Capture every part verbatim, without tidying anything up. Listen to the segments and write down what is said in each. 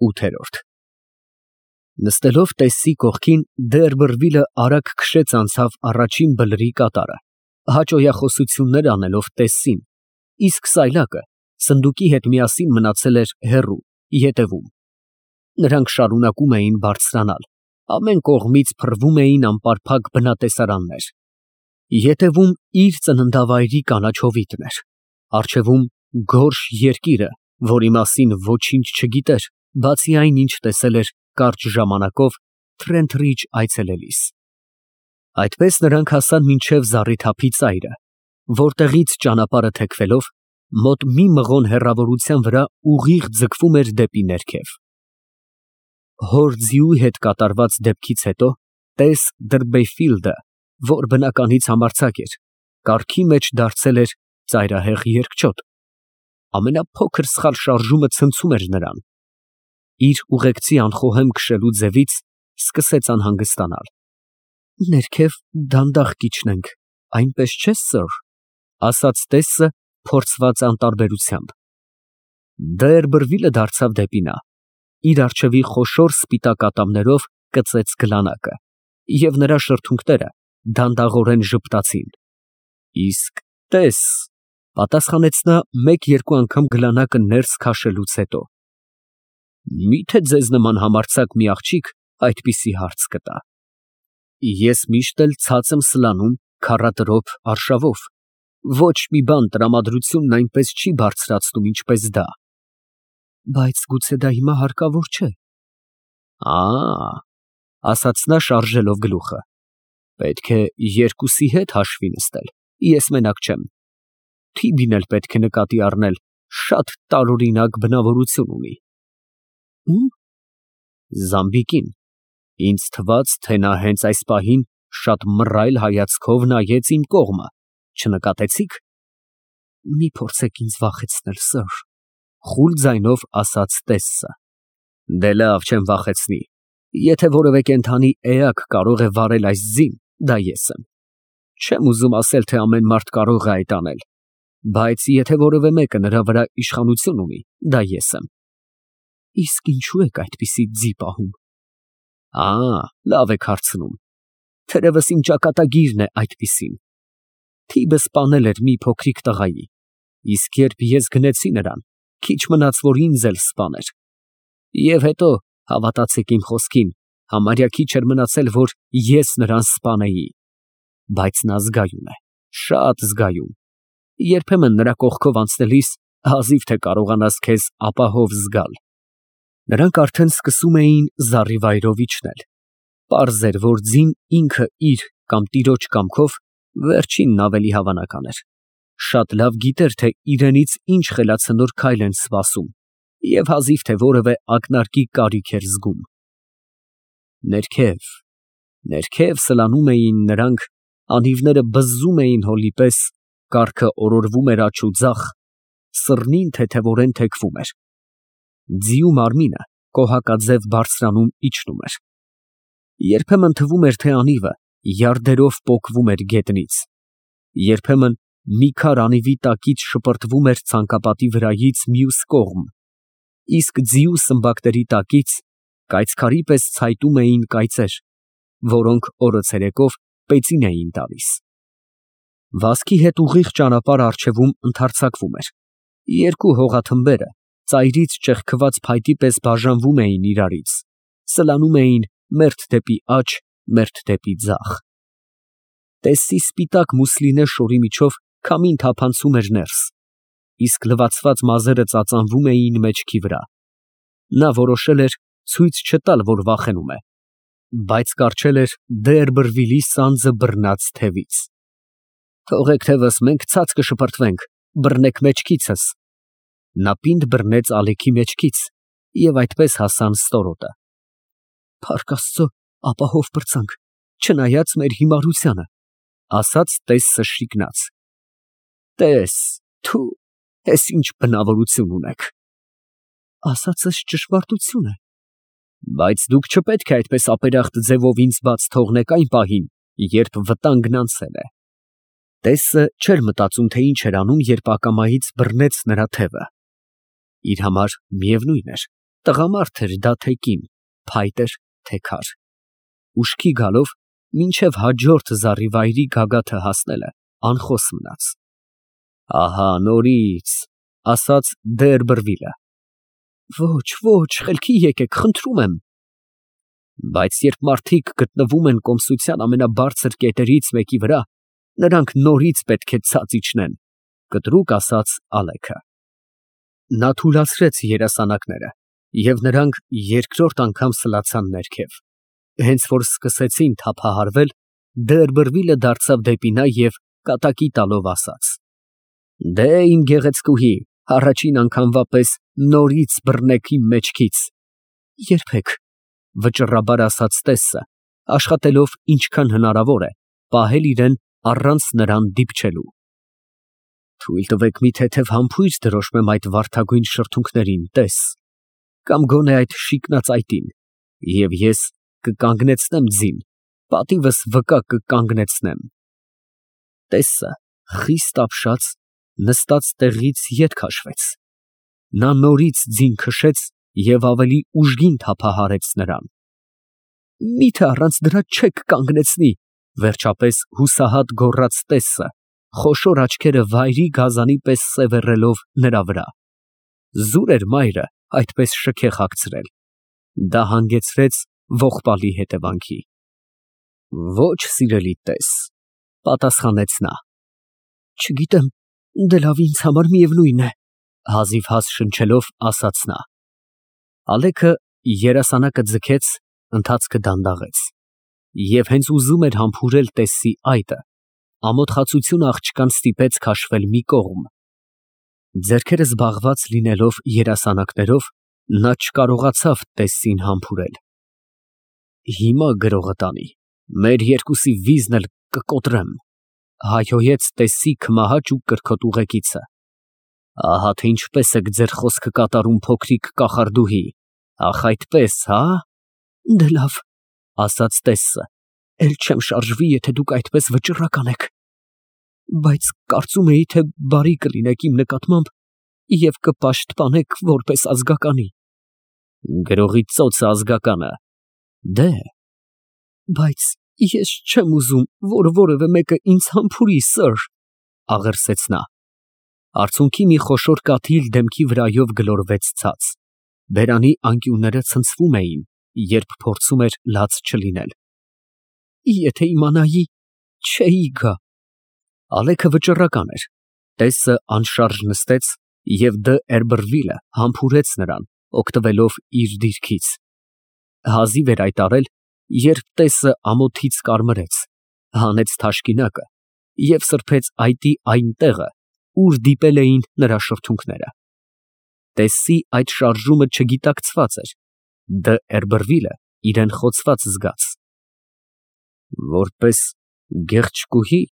ՈՒԹԵՐՈՐԴ Նստելով տեսի կողքին, Դերբերվիլը արագ քշեց անցավ առաջին բլրի կատարը, հաճոյախոսություններ անելով տեսին, իսկ սայլակը սնդուկի հետ միասին մնացել էր հեռու, ետևում. նրանք շարունակում էին բարձրանալ, ամեն կողմից փռվում էին անպարփակ բնատեսարաններ, ետևում իր ծննդավայրի կանաչ հովիտն էր, առջևում գորշ երկիրը, որի մասին ոչինչ չգիտեր, բացի այն, ինչ տեսել էր կարճ ժամանակով Թրենթրիջ այցելելիս։ Այդպես նրանք հասան մինչև զառիթափի ծայրը, որտեղից ճանապարհը թեքվելով, մոտ մի մղոն հեռավորության վրա ուղիղ ձգվում էր դեպի ներքև։ Հոր ձիու հետ կատարված դեպքից հետո տես Դըրբեյֆիլդը, որ բնականից համարձակ էր, կառքի մեջ դարձել էր ծայրահեղ երկչոտ, ամենափոքր սխալ շարժումը ցնցում էր նրան։ Իր ուղեկցի անխոհեմ քշելու ձևից սկսեց անհանգստանալ։ Ներքև դանդաղ կիջնենք, այնպես չէ՞, սըր, ասաց տեսը փորձված անտարբերությամբ։ Դերբերվիլը դարձավ դեպի նա, իր առջևի խոշոր սպիտակ ատամներով կծեց գլանակը, և նրա շրթունքները դանդաղորեն ժպտացին։ Իսկ տես, պատասխանեց նա մեկ֊երկու անգամ գլանակը ներս քաշելուց հետո, միթե ձեզ նման համարձակ մի աղջիկ այդպիսի հարց կտա։ Ես միշտ էլ ցած եմ սլանում քառատրոփ արշավով, ոչ մի բան տրամադրությունն այնպես չի բարձրացնում, ինչպես դա։ Բայց գուցե դա հիմա հարկավոր չէ։ Ա, ասաց նա շարժելով գլուխը, պետք է երկուսի հետ հաշվի նստել, ես մենակ չեմ։ Թիբին էլ պետք է նկատի առնել, շատ տարօրինակ բնավորություն ունի։ Ո՞ւմ։ Զամբիկին, ինձ թվաց, թե նա հենց այս պահին շատ մռայլ հայացքով նայեց իմ կողմը, չնկատեցի՞ք։ Մի փորձեք ինձ վախեցնել, սըր, խուլ ձայնով ասաց տեսը։ Դե լավ, չեմ վախեցնի, եթե որևէ կենդանի էակ կարող է վարել այս ձին, դա ես եմ։ Չեմ ուզում ասել, թե ամեն մարդ կարող է այդ անել, բայց եթե որևէ մեկը նրա վրա իշխանություն ունի, դա ես եմ։ Իսկ ինչու եք այդպիսի ձի պահում։ Ա, լավ եք հարցնում, թերևս իմ ճակատագիրն է այդպիսին։ Թիբը սպանել էր մի փոքրիկ տղայի, իսկ երբ ես գնեցի նրան, քիչ մնաց, որ ինձ էլ սպաներ։ Եվ հետո, հավատացեք իմ խոսքին, համարյա քիչ էր մնացել, որ ես նրան սպանեի։ Բայց նա զգայուն է, շատ զգայուն։ Երբեմն նրա կողքով անցնելիս հազիվ թե կարողանաս քեզ ապահով զգալ։ Նրանք արդեն սկսում էին զառիվայրով իջնել։ Պարզ էր, որ ձին ինքը իր կամ տիրոջ կամքով վերջինն ավելի հավանական էր։ Շատ լավ գիտեր, թե իրենից ինչ խելացնոր քայլ են սպասում, և հազիվ թե որևէ ակնարկի կարիք էր զգում։ Ներքև, ներքև սլանում էին նրանք, անիվները բզզում էին հոլի պես, կառքը օրորվում էր աջ ու ձախ, սռնին թեթևորեն թեքվում էր։ Ձիու մարմինը կոհակաձև բարձրանում իջնում էր։ Երբեմն թվում էր, թե անիվը յարդերով պոկվում էր գետնից, երբեմն մի քար անիվի տակից շպրտվում էր ցանկապատի վրայից մյուս կողմ, իսկ ձիու սմբակների տակից կայծքարի պես ցայտում էին կայծեր, որոնք օրը ցերեկով պեցին էին տալիս։ Վազքի հետ ուղիղ ճանապարհ առջևում ընդարձակվում էր, երկու հողաթմբերը ծայրից ճեղքված փայտի պես բաժանվում էին իրարից, սլանում էին մերթ դեպի աջ, մերթ դեպի ձախ։ Տեսի սպիտակ մուսլինե շորի միջով քամին թափանցում էր ներս, իսկ լվացված մազերը ծածանվում էին մեջքի վրա։ Նա որոշել էր ցույց չտալ, որ վախենում է, բայց կառչել էր Դերբերվիլի սանձը բռնած թևից։ Թողեք թևս, մենք ցած կշպրտվենք, բռնեք մեջքիցս։ Նա պինդ բռնեց ալեքի մեջքից, և այդպես հասան ստորոտը։ Փառք Աստծո, ապահով պրծանք, չնայած մեր հիմարությանը, ասաց տեսը շիկնաց։ Տես, թու, ես ինչ բնավորություն ունեք։ Ասածս ճշմարտություն է։ Բայց դուք չպետք է այդպես ապերախտ ձևով ինձ բաց թողնեք այն պահին, երբ վտանգն անցել է։ Տեսը չէր մտածում, թե ինչ էր անում, երբ ակամայից բռնեց նրա թևը։ Իր համար միևնույն էր, Տղամարդ էր դա թե կին, փայտ էր թե քար։ Ուշքի գալով մինչև հաջորդ զառիվայրի գագաթը հասնելը անխոս մնաց։ Ահա նորից, ասաց Դերբերվիլը։ Ոչ, ոչ, խելքի եկեք, խնդրում եմ։ Բայց երբ մարդիկ գտնվում են կոմսության ամենաբարձր կետերից մեկի վրա, նրանք նորից պետք է ցած իջնեն, կտրուկ ասաց Ալեքը։ Նա թուլացրեց երասանակները, և նրանք երկրորդ անգամ սլացան ներքև։ Հենց որ սկսեցին թափահարվել, Դերբերվիլը դարձավ դեպի նա և կատակի տալով ասաց. Դե իմ գեղեցկուհի, առաջին անգամվա պես նորից բռնեք իմ մեջքից։ Երբեք, վճռաբար ասաց Տեսը, աշխատելով ինչքան հնարավոր է պահել իրեն առանց նրան դիպչելու։ Թույլ տվեք մի թեթև համբույր դրոշմեմ այդ վարդագույն շրթունքներին, տես, կամ գոնե այդ շիկնաձայտին, և ես կկանգնեցնեմ ձին, պատիվս վկա կկանգնեցնեմ։ Տեսը խիստ ապշած նստած տեղից ետ քաշվեց։ Նա նորից ձին քշեց և ավելի ուժգին թափահարեց նրան։ Միթե առանց դրա չեք կանգնեցնի, վերջապես հուսահատ գոռաց Տեսը, խոշոր աչքերը վայրի գազանի պես սևեռելով նրա վրա։ Զուր էր մայրը այդպես շքեղ հագցրել։ Դա հանգեցրեց ողբալի հետևանքի։ Ոչ, սիրելի տես, պատասխանեց նա։ Չգիտեմ, դե լավ, ինձ համար միևնույն է, հազիվհազ շնչելով ասաց նա։ Ալեքը երասանակը ձգեց, ընթացքը դանդաղեց, և հենց ուզում էր համբուրել Տեսի այտը, ամոթխածությունը աղջկան ստիպեց քաշվել մի կողմ։ Ձեռքերը զբաղված լինելով երասանակներով, նա չկարողացավ Տեսին համբուրել։ Հիմա գրողը տանի, մեր երկուսի վիզն էլ կկոտրեմ, հայհոյեց Տեսի քմահաճ ու կրքոտ ուղեկիցը։ Ահա թե ինչպես եք ձեր խոսքը կատարում, փոքրիկ կախարդուհի, ախ այդպես, հա։ Դե լավ, ասաց Տեսը, էլ չեմ շարժվի, եթե դուք այդպես վճռական եք։ Բայց կարծում էի, թե բարի կլինեք իմ նկատմամբ և կպաշտպանեք որպես ազգականի։ Գրողի ծոցը ազգականը։ Դե, բայց ես չեմ ուզում, որ որևէ մեկը ինձ համբուրի, սըր, աղերսեց նա։ Արցունքի մի խոշոր կաթիլ դեմքի վրայով գլորվեց ցած։ Բերանի անկյունները ցնցվում էին, երբ փորձում էր լաց չլինել։ Եթե իմանայի, չէի գա։ Ալեքը վճռական էր։ Տեսը անշարժ նստեց, և Դերբերվիլը համբուրեց նրան, օգտվելով իր դիրքից։ Հազիվ էր այդ արել, երբ Տեսը ամոթից կարմրեց, հանեց թաշկինակը և սրբեց այտի այն տեղը, ուր դիպել էին նրա շրթունքները։ Տեսի այդ շարժումը չգիտակցված էր, Դերբերվիլը իրեն խոցված զգաց։ Որպես գեղեցկուհի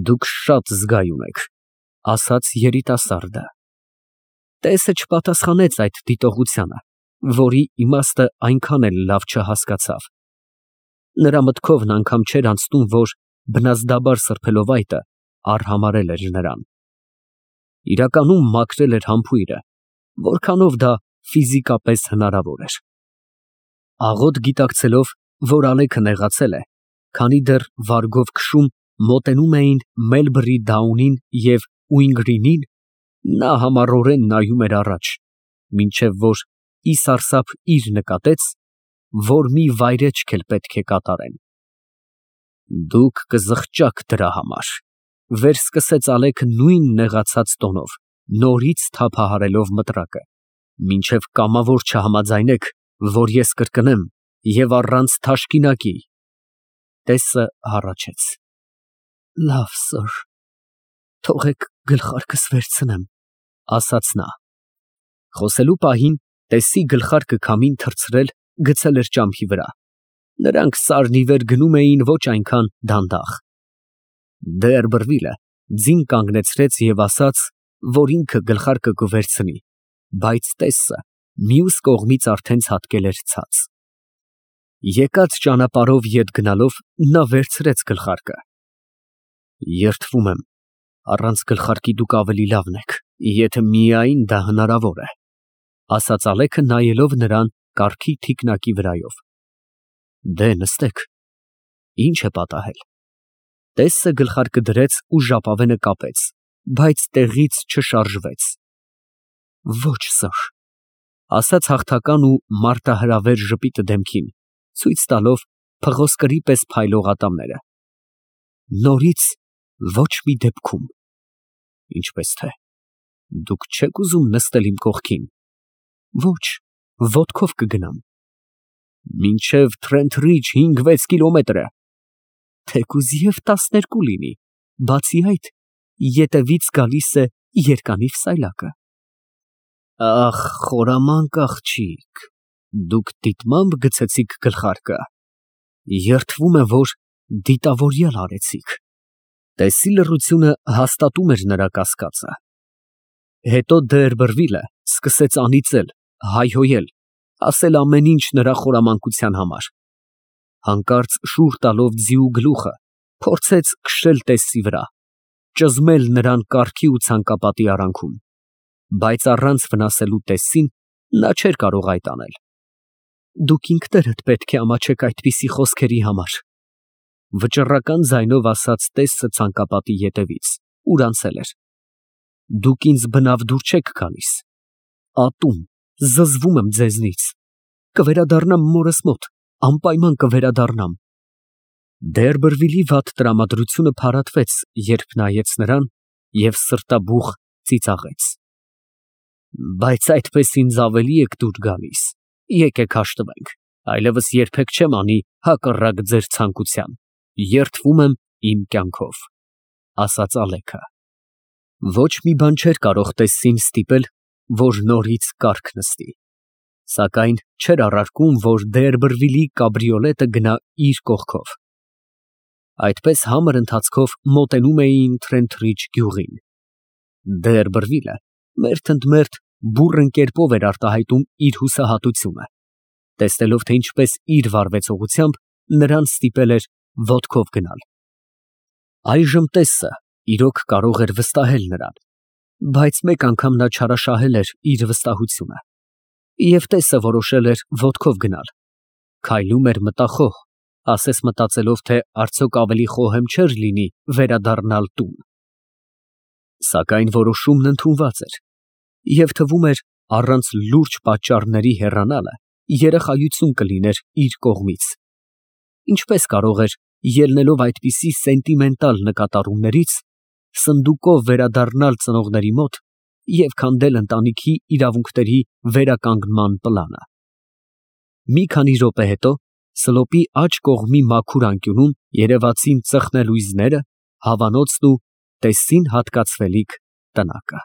դուք շատ զգայուն եք, ասաց երիտասարդը։ Տեսը չպատասխանեց այդ դիտողությանը, որի իմաստը այնքան էլ լավ չհասկացավ։ Նրա մտքովն անգամ չէր անցնում, որ բնազդաբար սրբելով այտը արհամարհել էր նրան։ Իրականում մաքրել էր համբույրը, որքանով դա ֆիզիկապես հնարավոր էր։ Աղոտ գիտակցելով, որ Ալեքը նեղացել է, քանի դեռ վարգով քշում մոտենում էին Մելբրի Դաունին և Ուինգրինին, նա համառորեն նայում էր առաջ, մինչև որ ի սարսափ իր նկատեց, որ մի վայրէջք էլ պետք է կատարեն։ Դուք կզղջաք դրա համար, վերսկսեց Ալեքը նույն նեղացած տոնով, նորից թափահարելով մտրակը, մինչև կամավոր չհամաձայնեք, որ ես կրկնեմ և առանց թաշկինակի։ Տեսը հառաչեց։ Լավ, սըր, թողեք գլխարկս վերցնեմ, ասաց նա։ Խոսելու պահին Տեսի գլխարկը քամին թռցրել գցել էր ճամփի վրա։ Նրանք սարն ի վեր գնում էին ոչ այնքան դանդաղ։ Դերբերվիլը ձին կանգնեցրեց և ասաց, որ ինքը գլխարկը կվերցնի, բայց Տեսը մյուս կողմից արդեն ցատկել էր ցած։ Եկած ճանապարհով ետ գնալով նա վերցրեց գլխարկը։ Երդվում եմ, առանց գլխարկի դուք ավելի լավն եք, եթե միայն դա հնարավոր է, ասաց Ալեքը նայելով նրան կառքի թիկնակի վրայով։ Դե նստեք, ինչ է պատահել։ Տեսը գլխարկը դրեց ու ժապավենը կապեց, բայց տեղից չշարժվեց։ Ոչ սըր, ասաց հաղթական ու մարտահրավեր ժպիտը դեմքին, ցույց տալով փղոսկրի պես փայլող ատամները։ Նորից ոչ մի դեպքում։ Ինչպես թե, դուք չեք ուզում նստել իմ կողքին։ Ոչ, ոտքով կգնամ։ Մինչև Թրենթրիջ հինգ֊վեց կիլոմետր է։ Թեկուզ և տասներկու լինի, բացի այդ, ետևից գալիս է երկանիվ սայլակը։ Ախ, խորամանկ աղջիկ, դուք դիտմամբ գցեցիք գլխարկը։ Երդվում է, որ դիտավորյալ արեցիք։ Տեսի լռությունը հաստատում էր նրա կասկածը։ Հետո Դերբերվիլը սկսեց անիծել, հայհոյել, ասել ամեն ինչ նրա խորամանկության համար։ Հանկարծ շուռ տալով ձիու գլուխը, փորձեց քշել Տեսսի վրա, ճզմել նրան կառքի ու ցանկապատի արանքում, բայց առանց վնասելու Տեսսին նա չէր կարող այդ անել։ Դուք ինքներդ պետք է ամաչեք այդպիսի խոսքերի համար, վճռական ձայնով ասաց Տեսսը ցանկապատի ետևից, ուր անցել էր։ Դուք ինձ բնավ դուր չեք գալիս։ Ատում, զզվում եմ ձեզնից։ Կվերադառնամ մորս մոտ, անպայման կվերադառնամ։ Դերբերվիլի վատ տրամադրությունը փարատվեց, երբ նայեց նրան և սրտաբուխ ծիծաղեց։ Բայց այդպես ինձ ավելի եք դուր գալիս, եկեք հաշտվենք, այլևս երբեք չեմ անի հակառակ ձեր ցանկության, երդվում եմ իմ կյանքով, ասաց Ալեքը։ Ոչ մի բան չէր կարող Տեսսին ստիպել, որ նորից կառք նստի, սակայն չէր առարկում, որ Դերբերվիլի կաբրիոլետը գնա իր կողքով։ Այդպես համր ընթացքով մոտենում էին Թրենթրիջ գյուղին։ Դերբերվիլը մերթ ընդ մերթ բուռն կերպով էր արտահայտում իր հուսահատությունը, տեսնելով, թե ինչպես իր վարվեցողությամբ նրան ստիպել էր ոտքով գնալ։ Այժմ Տեսսը իրոք կարող էր վստահել նրան, բայց մեկ անգամ նա չարաշահել էր իր վստահությունը, և Տեսսը որոշել էր ոտքով գնալ։ Քայլում էր մտախոհ, ասես մտածելով, թե արդյոք ավելի խոհեմ չէր լինի վերադառնալ տուն։ Սակայն որոշումն ընդունված էր, և թվում էր առանց լուրջ պատճառների հեռանալը երախայություն կլիներ իր կողմից։ Ինչպես կարող էր, ելնելով այդպիսի սենտիմենտալ նկատառումներից, սնդուկով վերադառնալ ծնողների մոտ և քանդել ընտանիքի իրավունքների վերականգնման պլանը։ Մի քանի րոպե հետո սլոպի աջ կողմի մաքուր անկյունում երևացին ծխնելույզները, հավանոցն ու Տեսսին հատկացվելիք տնակը։